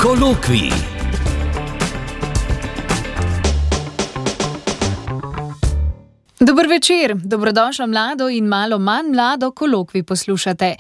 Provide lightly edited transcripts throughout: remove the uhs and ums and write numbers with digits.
Kolokvij. Dober večer, dobrodošla mlado in malo manj mlado kolokvij poslušate.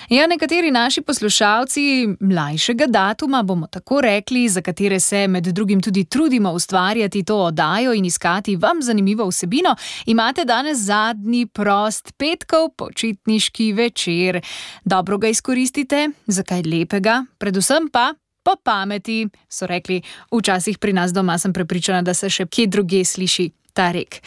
Ja, nekateri naši poslušalci mlajšega datuma, bomo tako rekli, za katere se med drugim tudi trudimo ustvarjati to oddajo in iskati vam zanimivo vsebino, imate danes zadnji prost petkov počitniški večer. Dobro ga izkoristite, za kaj lepega, predvsem pa po pameti, so rekli. Včasih pri nas doma sem prepričana, da se še kje drugje sliši ta rek.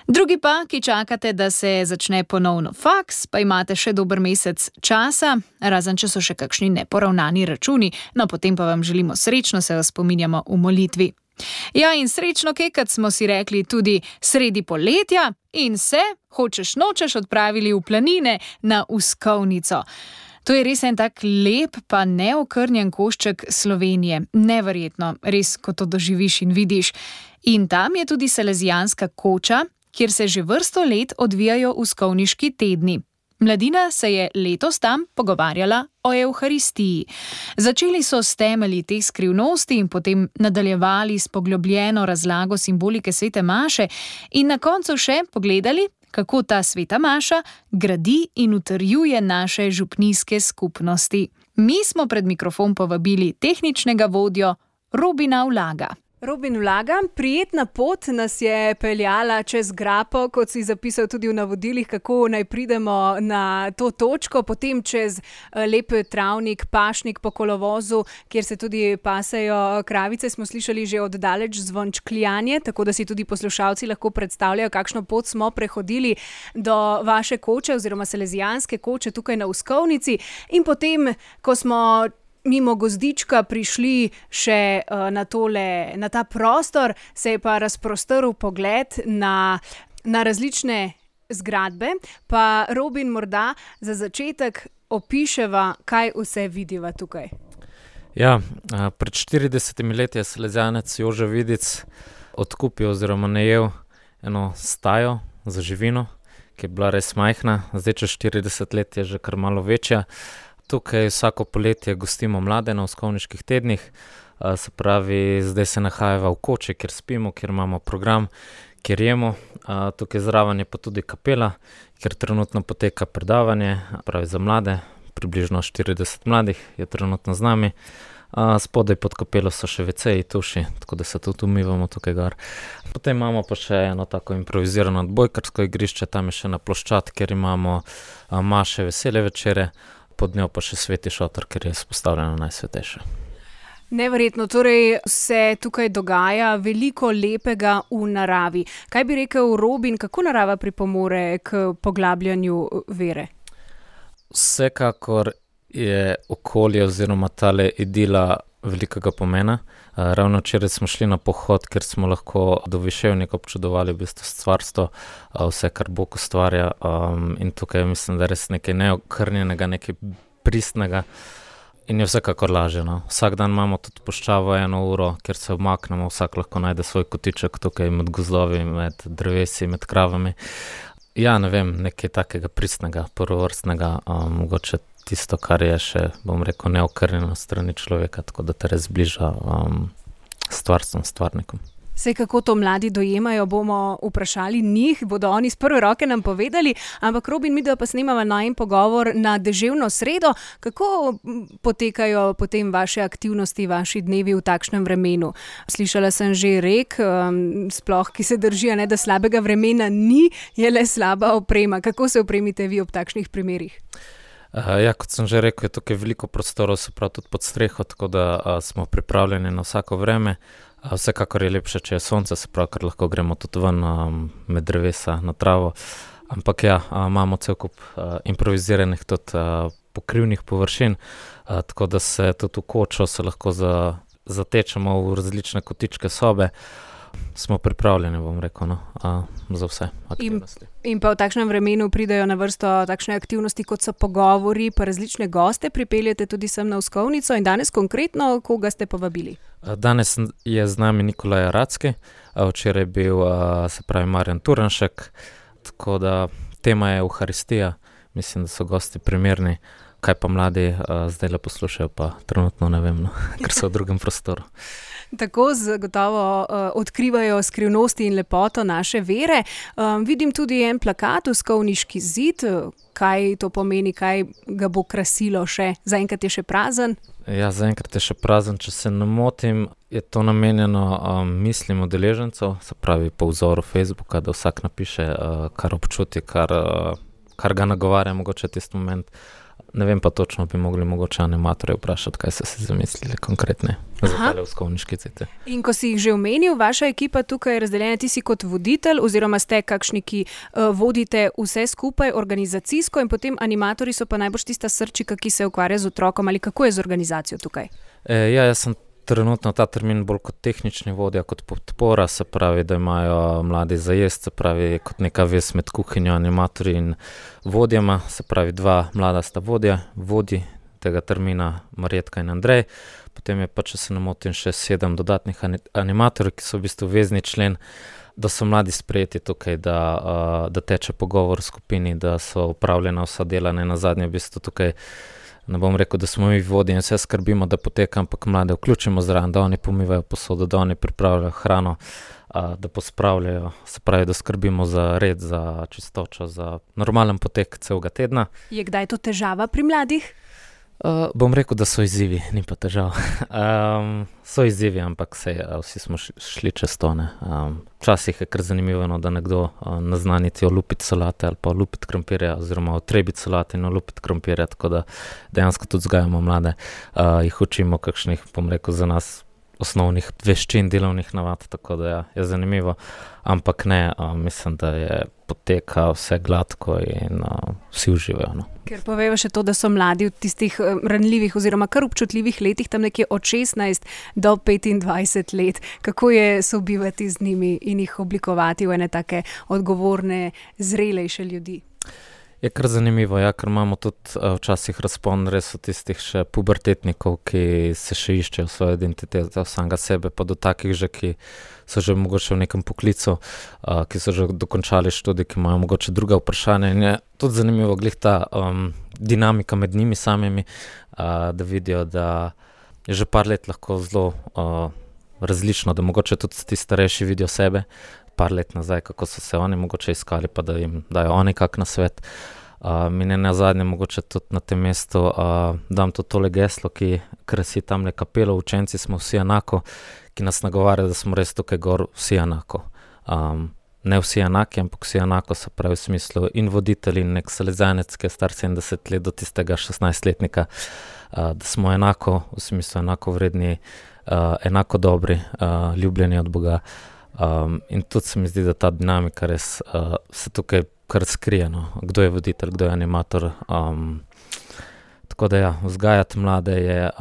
Drugi pa, ki čakate, da se začne ponovno faks, pa imate še dober mesec časa, razen če so še kakšni neporavnani računi, no potem pa vam želimo srečno, se vas spominjamo v molitvi. Ja, in srečno kekat smo si rekli tudi sredi poletja in se, hočeš nočeš, odpravili v planine na Uskovnico. To je res en tak lep pa neokrnjen košček Slovenije. Neverjetno, res, ko to doživiš in vidiš. In tam je tudi Salezijanska koča, kjer se že vrsto let odvijajo uskovniški tedni. Mladina se je letos tam pogovarjala o Evharistiji. Začeli so s temelji teh skrivnosti in potem nadaljevali s poglobljeno razlago simbolike svete maše in na koncu še pogledali, kako ta sveta maša gradi in utrjuje naše župnijske skupnosti. Mi smo pred mikrofon povabili tehničnega vodjo Robina Ulaga. Robin Ulaga, prijetna pot nas je peljala čez grapo, kot si zapisal tudi v navodilih, kako naj pridemo na to točko, potem čez lep travnik, pašnik po kolovozu, kjer se tudi pasejo kravice, smo slišali že oddaleč zvončkljanje, tako da si tudi poslušalci lahko predstavljajo, kakšno pot smo prehodili do vaše koče oziroma Salezijanske koče tukaj na Uskovnici. In potem, ko smo mimo gozdička prišli še na ta prostor, se je pa razprostrl pogled na različne zgradbe. Pa Robin, morda za začetek opiševa, kaj vse vidiva tukaj. Ja, pred 40 leti je Salezijanec Jože Vidic odkupil oziroma najel eno stajo za živino, ki je bila res majhna, zdaj čez 40 let je že kar malo večja. Tukaj vsako poletje gostimo mlade na uskovniških tednih, se pravi, zdaj se nahajava v koči, kjer spimo, kjer imamo program, kjer jemo. Tukaj zraven je pa tudi kapela, kjer trenutno poteka predavanje, pravi za mlade, približno 40 mladih je trenutno z nami. Spodaj pod kapelo so še WC-ji, tuši, tako da se tudi umivamo tukaj gor. Potem imamo pa še eno tako improvizirano odbojkarsko igrišče, tam je še ena ploščad, kjer imamo maše, vesele večere, pod njo pa še sveti šotor, ker je izpostavljeno najsvetejše. Neverjetno, torej se tukaj dogaja veliko lepega v naravi. Kaj bi rekel Robin, kako narava pripomore k poglabljanju vere? Vsekakor je okolje oziroma tale idila velikega pomena. Ravno včeraj smo šli na pohod, ker smo lahko do Viševnika občudovali v bistvu stvarstvo, vse, kar Bog ustvarja, in tukaj mislim, da je res nekaj neokrnjenega, nekaj pristnega in je vsekakor lažje. No. Vsak dan imamo tudi puščavo 1 uro, kjer se obmaknemo, vsak lahko najde svoj kotiček tukaj med gozdovi, med drevesi, med kravami. Ja, ne vem, nekaj takega pristnega, prvovrstnega, mogoče tisto, kar je še, bom rekel, neokrnjeno strani človeka, tako da te res bliža stvarstvom, stvarnikom. Sej kako to mladi dojemajo, bomo vprašali njih, bodo oni z prve roke nam povedali, ampak Robin, mi da pa snemava najin pogovor na deževno sredo. Kako potekajo potem vaše aktivnosti, vaši dnevi v takšnem vremenu? Slišala sem že rek, sploh ki se drži, ne, da slabega vremena ni, je le slaba oprema. Kako se opremite vi ob takšnih primerih? Ja, kot sem že rekel, je tukaj veliko prostorov, se pravi tudi pod streho, tako da smo pripravljeni na vsako vreme. Vsekakor je lepše, če je sonce, se pravi, ker lahko gremo tudi ven med drevesa na travo. Ampak ja, imamo cel kup improviziranih tudi pokrivnih površin, tako da se tudi v kočo se lahko zatečemo v različne kotičke sobe. Smo pripravljeni, bom rekel, za vse aktivnosti. In pa v takšnem vremenu pridejo na vrsto takšne aktivnosti, kot so pogovori, pa različne goste pripeljete tudi sem na Uskovnico. In danes konkretno, koga ste povabili? Danes je z nami Nikolaj Racki, včeraj je bil, se pravi, Marjan Turnšek, tako da tema je Evharistija. Mislim, da so gosti primerni. Kaj pa mladi zdaj le poslušajo, pa trenutno ne vem, no, ker so v drugem prostoru. Tako zagotovo odkrivajo skrivnosti in lepoto naše vere. Vidim tudi en plakat, Uskovniški zid. Kaj to pomeni, kaj ga bo krasilo še? Zaenkrat je še prazen? Ja, zaenkrat je še prazen. Če se ne motim, je to namenjeno mislim udeležencev, se pravi po vzoru Facebooka, da vsak napiše, kar občuti, kar ga nagovarja mogoče tisti moment. Ne vem pa točno, bi mogli mogoče animatorje vprašati, kaj so si zamislili konkretne za tale Uskovniški zid. In ko si jih že omenil, vaša ekipa tukaj je razdeljena, ti si kot voditelj oziroma ste kakšni, ki vodite vse skupaj organizacijsko in potem animatorji so pa najbolj tista srčika, ki se ukvarja z otrokom, ali kako je z organizacijo tukaj? Jaz sem trenutno ta termin bolj kot tehnični vodja, kot podpora, se pravi, da imajo mladi zajest, se pravi, kot neka vez med kuhinjo, animatorji in vodjama, se pravi, 2 mlada sta vodji tega termina, Marjetka in Andrej, potem je pa, če se ne motim, še 7 dodatnih animatorjev, ki so v bistvu vezni člen, da so mladi sprejeti tukaj, da teče pogovor v skupini, da so upravljena vsa dela, ne nazadnje v bistvu tukaj. Ne bom rekel, da smo mi vodji in vse skrbimo, da poteka, ampak mlade vključimo zraven, da oni pomivajo posodo, da oni pripravljajo hrano, da pospravljajo, se pravi, da skrbimo za red, za čistočo, za normalen potek celega tedna. Je kdaj to težava pri mladih? Bom rekel, da so izzivi, ni pa težav. So izzivi, ampak vsi smo šli čez to. Včasih je kar zanimivo, da nekdo ne zna niti olupiti solate ali pa olupiti krompirja oziroma otrebiti solate in olupiti krompirja, tako da dejansko tudi vzgajamo mlade. Jih učimo kakšnih, bom rekel, za nas osnovnih veščin, delovnih navad, tako da je zanimivo. Ampak ne, mislim, da je poteka vse gladko in vsi uživajo. No. Ker poveva še to, da so mladi v tistih ranljivih oziroma kar občutljivih letih, tam nekje od 16 do 25 let. Kako je sobivati z njimi in jih oblikovati v ene take odgovorne, zrelejše ljudi? Je kar zanimivo, ja, ker imamo tudi včasih razpon res od tistih še pubertetnikov, ki se še iščejo svojo identiteto samega sebe, pa do takih že, ki so že mogoče v nekem poklicu, ki so že dokončali študij, ki imajo mogoče druga vprašanja. In je tudi zanimivo glih ta dinamika med njimi samimi, da vidijo, da je že par let lahko zelo različno, da mogoče tudi ti starejši vidijo sebe, par let nazaj, kako so se oni mogoče iskali, pa da jim dajo oni kak na svet. Mi ne nazadnje mogoče tudi na tem mestu dam to tole geslo, ki krasi tamle kapelo, učenci smo vsi enako, ki nas nagovarja, da smo res tukaj gor vsi enako. Ne vsi enaki, ampak vsi enako, se pravi v smislu in voditelj in nek salezjanec, ki je star 70 let do tistega 16-letnika, da smo enako, v smislu enako vredni, enako dobri, ljubljeni od Boga. In tudi se mi zdi, da ta dinamika res se tukaj kar skrije, no. Kdo je voditelj, kdo je animator. Tako da ja, vzgajati mlade je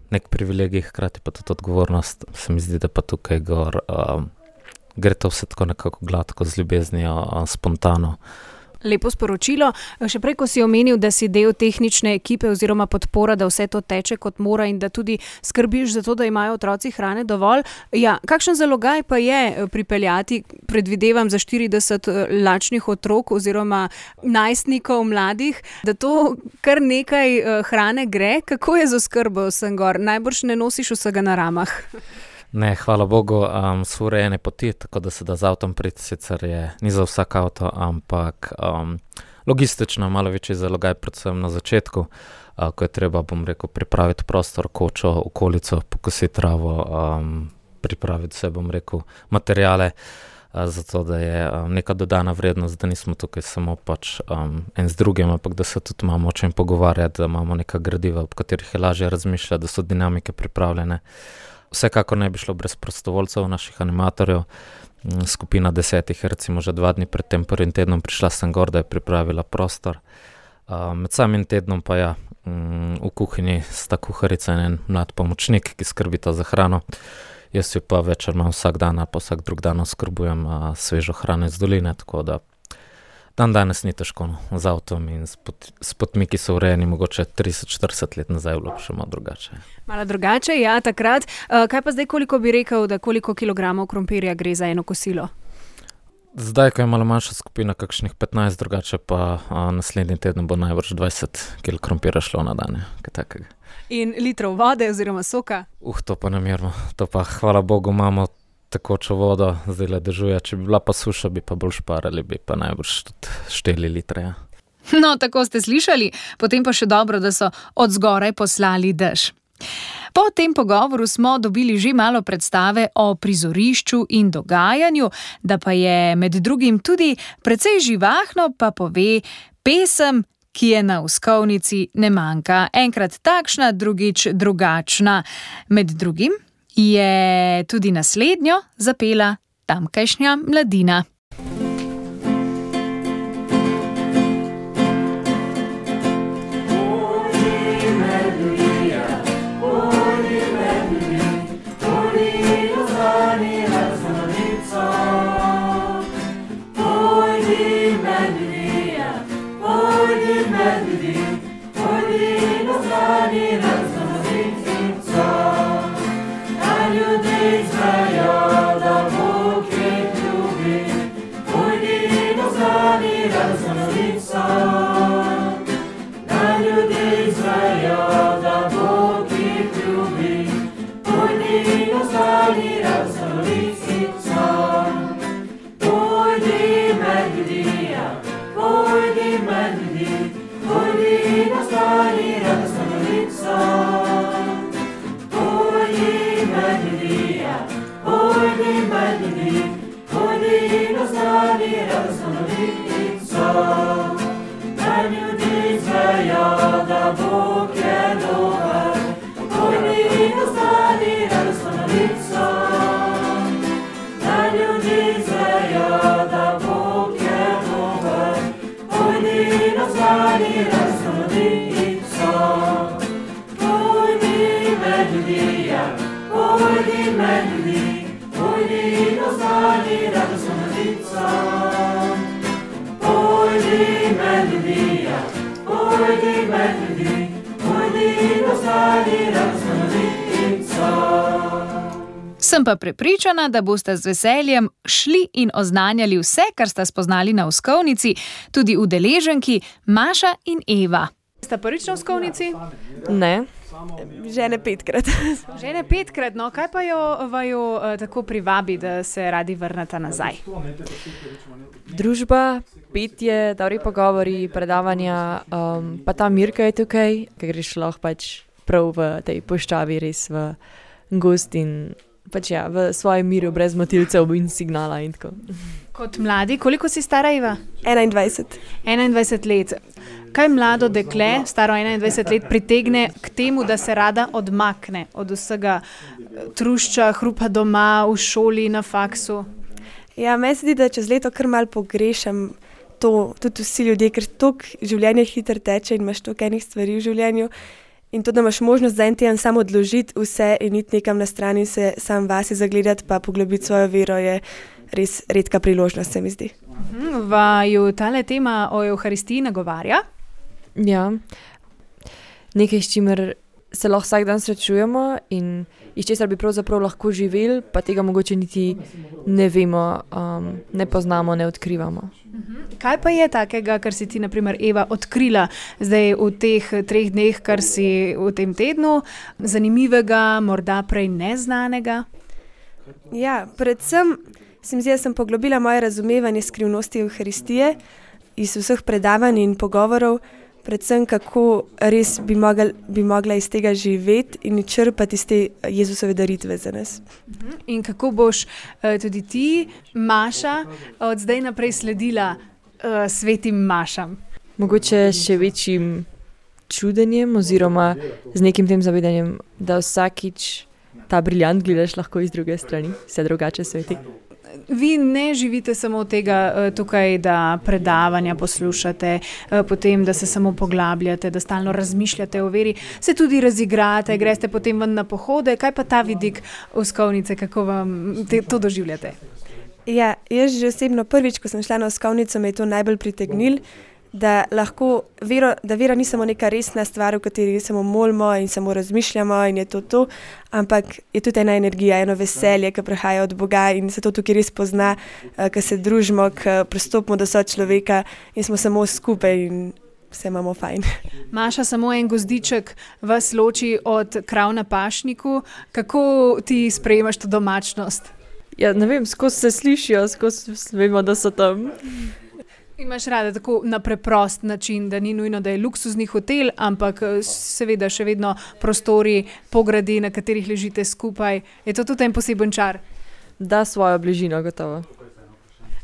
nek privilegij, hkrati pa tudi odgovornost. Se mi zdi, da pa tukaj gor gre to vse tako nekako gladko, z ljubeznijo, spontano. Lepo sporočilo. Še prej, ko si omenil, da si del tehnične ekipe oziroma podpora, da vse to teče kot mora in da tudi skrbiš za to, da imajo otroci hrane dovolj. Ja, kakšen zalogaj pa je pripeljati, predvidevam, za 40 lačnih otrok oziroma najstnikov mladih, da to kar nekaj hrane gre? Kako je z oskrbo sem gor? Najbrž ne nosiš vsega na ramah. Ne, hvala Bogu, so urejene poti, tako da se da z avtom priti, sicer ni za vsak avto, ampak logistično malo večji zalogaj, predvsem na začetku, ko je treba, bom rekel, pripraviti prostor, kočo, okolico, pokositi travo, pripraviti vse, bom rekel, materiale, zato da je neka dodana vrednost, da nismo tukaj samo pač en z drugim, ampak da se tudi imamo o čem pogovarjati, da imamo neka gradiva, ob katerih je lažje razmišljati, da so dinamike pripravljene. Vsekakor ne bi šlo brez prostovoljcev, naših animatorjev. Skupina 10 je recimo že 2 dni pred tem prvim tednom prišla sem gor, da je pripravila prostor. Med samim tednom pa ja, v kuhinji sta kuharica in en mlad pomočnik, ki skrbita za hrano. Jaz jo pa večer imam vsak dan, pa vsak drug dan oskrbujem svežo hrano iz doline, tako da dan danes ni težko, no, z avtom in s potmi, ki so urejeni mogoče 30-40 let nazaj, bilo še malo drugače. Malo drugače, ja, takrat. Kaj pa zdaj, koliko bi rekel, da koliko kilogramov krompirja gre za eno kosilo? Zdaj, ko je malo manjša skupina, kakšnih 15, drugače pa naslednji teden bo najbrž 20 kil krompira šlo na dan. Kaj takega. In litrov vode oziroma soka? To pa namerno. To pa, hvala Bogu, imamo tekočo vodo, zdaj le dežuje. Če bi bila pa suša, bi pa bolj šparali, bi pa najbrž tudi 4 litre. Ja. No, tako ste slišali, potem pa še dobro, da so od zgoraj poslali dež. Po tem pogovoru smo dobili že malo predstave o prizorišču in dogajanju, da pa je med drugim tudi precej živahno, pa pove pesem, ki je na Uskovnici ne manjka. Enkrat takšna, drugič drugačna. Med drugim je tudi naslednjo zapela tamkajšnja mladina. Sem pa prepričana, da boste z veseljem šli in oznanjali vse, kar sta spoznali na Uskovnici, tudi udeleženki Maša in Eva. Sta prvič na Uskovnici? Ne, žene 5-krat. Žene 5-krat, no kaj pa vaju tako privabi, da se radi vrnete nazaj? Družba, petje, dobri pogovori, predavanja, pa ta Mirka je tukaj, ker greš lahko pač prav v tej puščavi, res v gozd in pač ja, v svojem miru, brez motilcev in signala in tako. Kot mladi, koliko si stara, Eva? 21. 21 let. Kaj mlado dekle, staro 21 let, pritegne k temu, da se rada odmakne od vsega trušča, hrupa doma, v šoli, na faksu? Ja, meni se zdi, da čez leto kar malo pogrešam to, tudi vsi ljudje, ker toliko življenje hitro teče in imaš toliko enih stvari v življenju. In to, da imaš možnost za en teden samo odložiti vse in iti nekam na stran in se sam vase zagledati, pa poglobiti svojo vero, je res redka priložnost, se mi zdi. Vaju tale tema o Evharistiji nagovarja? Ja, nekaj, s čimer se lahko vsak dan srečujemo in iz česar bi pravzaprav lahko živeli, pa tega mogoče niti ne vemo, ne poznamo, ne odkrivamo. Kaj pa je takega, kar si ti, na primer, Eva, odkrila zdaj v teh 3 dneh, kar si v tem tednu, zanimivega, morda prej neznanega? Ja, predvsem se mi zdi, da sem poglobila moje razumevanje skrivnosti Evharistije iz vseh predavanj in pogovorov, predvsem kako res bi mogla iz tega živeti in črpati iz te Jezusove daritve za nas. In kako boš tudi ti, Maša, od zdaj naprej sledila svetim Mašam? Mogoče še večjim čudenjem oziroma z nekim tem zavedanjem, da vsakič ta briljant gledaš lahko iz druge strani, vse drugače sveti. Vi ne živite samo od tega tukaj, da predavanja poslušate, potem, da se samo poglabljate, da stalno razmišljate o veri, se tudi razigrate, greste potem ven na pohode. Kaj pa ta vidik Uskovnice, kako vam to doživljate? Ja, jaz že osebno prvič, ko sem šla na Uskovnico, me je to najbolj pritegnilo, da vera ni samo neka resna stvar, v kateri samo molimo in samo razmišljamo in je to, ampak je tudi ena energija, eno veselje, ki prihaja od Boga in se to tukaj res pozna, ko se družimo, ko pristopimo do sočloveka in smo samo skupaj in vse imamo fajn. Maša, samo en gozdiček vas loči od krav na pašniku. Kako ti sprejemaš to domačnost? Ja, ne vem, skozi se slišijo, skozi vemo, da so tam. Imaš rada tako na preprost način, da ni nujno, da je luksuzni hotel, ampak seveda še vedno prostori, pogradi, na katerih ležite skupaj. Je to tudi en poseben čar? Da, svojo bližino, gotovo.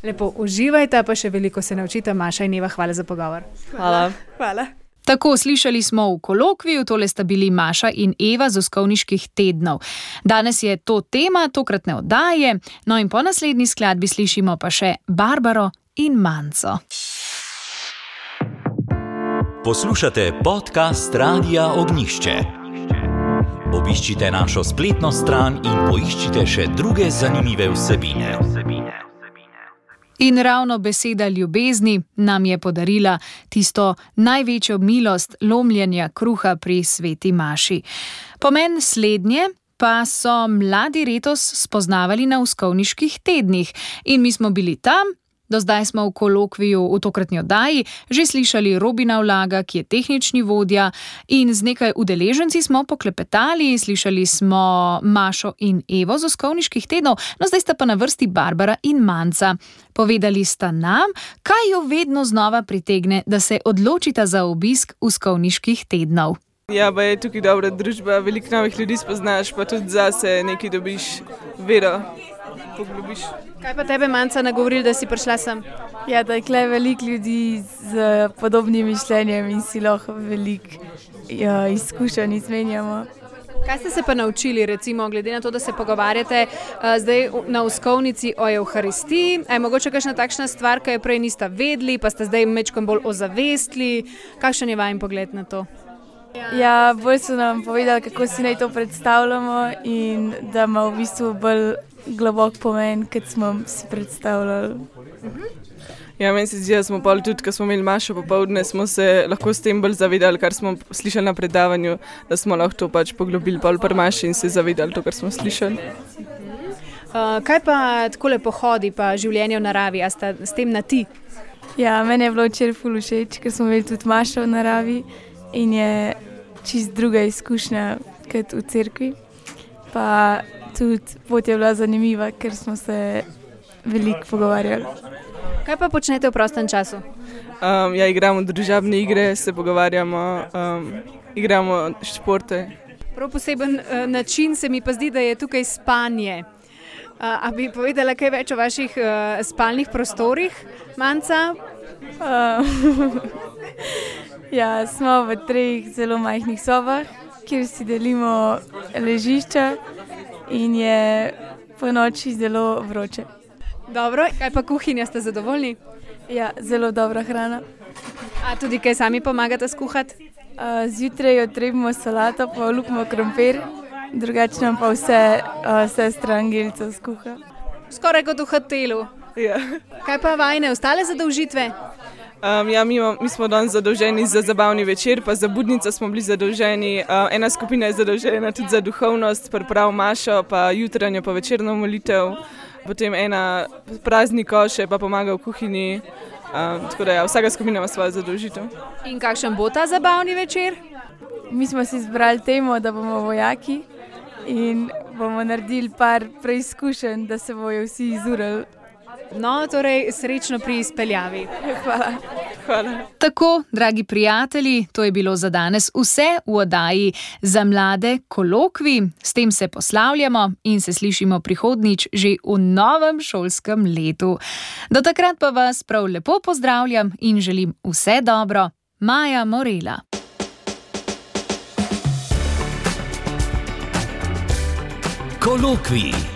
Lepo uživajte, pa še veliko se naučite. Maša in Eva, hvala za pogovor. Hvala. Tako, slišali smo v kolokviju, tole sta bili Maša in Eva z Uskovniških tednov. Danes je to tema tokratne oddaje, no in po naslednji skladbi slišimo pa še Barbaro in Manco. Poslušate podcast Radia Ognjišče. Obiščite našo spletno stran in poiščite še druge zanimive vsebine. In ravno beseda ljubezni nam je podarila tisto največjo milost lomljenja kruha pri sveti Maši. Pomen slednje pa so mladi letos spoznavali na Uskovniških tednih in mi smo bili tam. Do zdaj smo v kolokviju v tokratni oddaji že slišali Robina Vlaga, ki je tehnični vodja, in z nekaj udeleženci smo poklepetali, slišali smo Mašo in Evo z Uskovniških tednov, no zdaj sta pa na vrsti Barbara in Manca. Povedali sta nam, kaj jo vedno znova pritegne, da se odločita za obisk Uskovniških tednov. Ja, pa je tukaj dobra družba, veliko novih ljudi spoznaš, pa tudi zase nekaj dobiš, vero poglobiš. Kaj pa tebe, Manca, nagovorili, da si prišla sem? Ja, da je tukaj veliko ljudi z podobnim mišljenjem in si lahko veliko izkušenj izmenjamo. Kaj ste se pa naučili, recimo, glede na to, da se pogovarjate zdaj na Uskovnici o Evharistiji? Je mogoče kakšna takšna stvar, ki jo prej niste vedeli, pa ste zdaj mečkom bolj ozavestili? Kakšen je vaš pogled na to? Ja, bolj so nam povedali, kako si naj to predstavljamo in da ima v bistvu bolj globok pomen, kot smo si predstavljali. Ja, meni se zdi, da smo pol tudi, ko smo imeli Mašo popoldne, smo se lahko s tem bolj zavedali, kar smo slišali na predavanju, da smo lahko to pač poglobili pol pri Maši in se zavedali to, kar smo slišali. Kaj pa takole pohodi pa življenje v naravi, a sta s tem na ti? Ja, meni je bilo včeraj ful všeč, ker smo imeli tudi Mašo v naravi in je čist druga izkušnja kot v cerkvi. Pa tudi pot je bila zanimiva, ker smo se veliko pogovarjali. Kaj pa počnete v prostem času? Ja, igramo družabne igre, se pogovarjamo, igramo športe. Prav poseben način se mi pa zdi, da je tukaj spanje. A bi povedala kaj več o vaših spalnih prostorih, Manca? Ja, smo v 3 zelo majhnih sobah, kjer si delimo ležišča in je po noči zelo vroče. Dobro, kaj pa kuhinja, ste zadovoljni? Ja, zelo dobra hrana. A tudi kaj sami pomagate skuhati? Zjutraj otrebimo salato, pa olupimo krompir, drugače nam pa vse sestra Angelica skuha. Skoraj kot v hotelu. Ja. Kaj pa vajne ostale zadolžitve? Ja, mi smo danes zadolženi za zabavni večer, pa za budnico smo bili zadolženi. Ena skupina je zadolžena tudi za duhovnost, priprav Mašo, pa jutranjo, pa večerno molitev. Potem ena praznik koše, pa pomaga v kuhinji. Tako da ja, vsaka skupina ima svojo zadolžitev. In kakšen bo ta zabavni večer? Mi smo si izbrali temo, da bomo vojaki in bomo naredili par preizkušenj, da se bojo vsi izurali. No, torej srečno pri izpeljavi. Hvala. Tako, dragi prijatelji, to je bilo za danes vse v oddaji Za mlade kolokvij. S tem se poslavljamo in se slišimo prihodnjič že v novem šolskem letu. Do takrat pa vas prav lepo pozdravljam in želim vse dobro. Maja Morela. Kolokvij.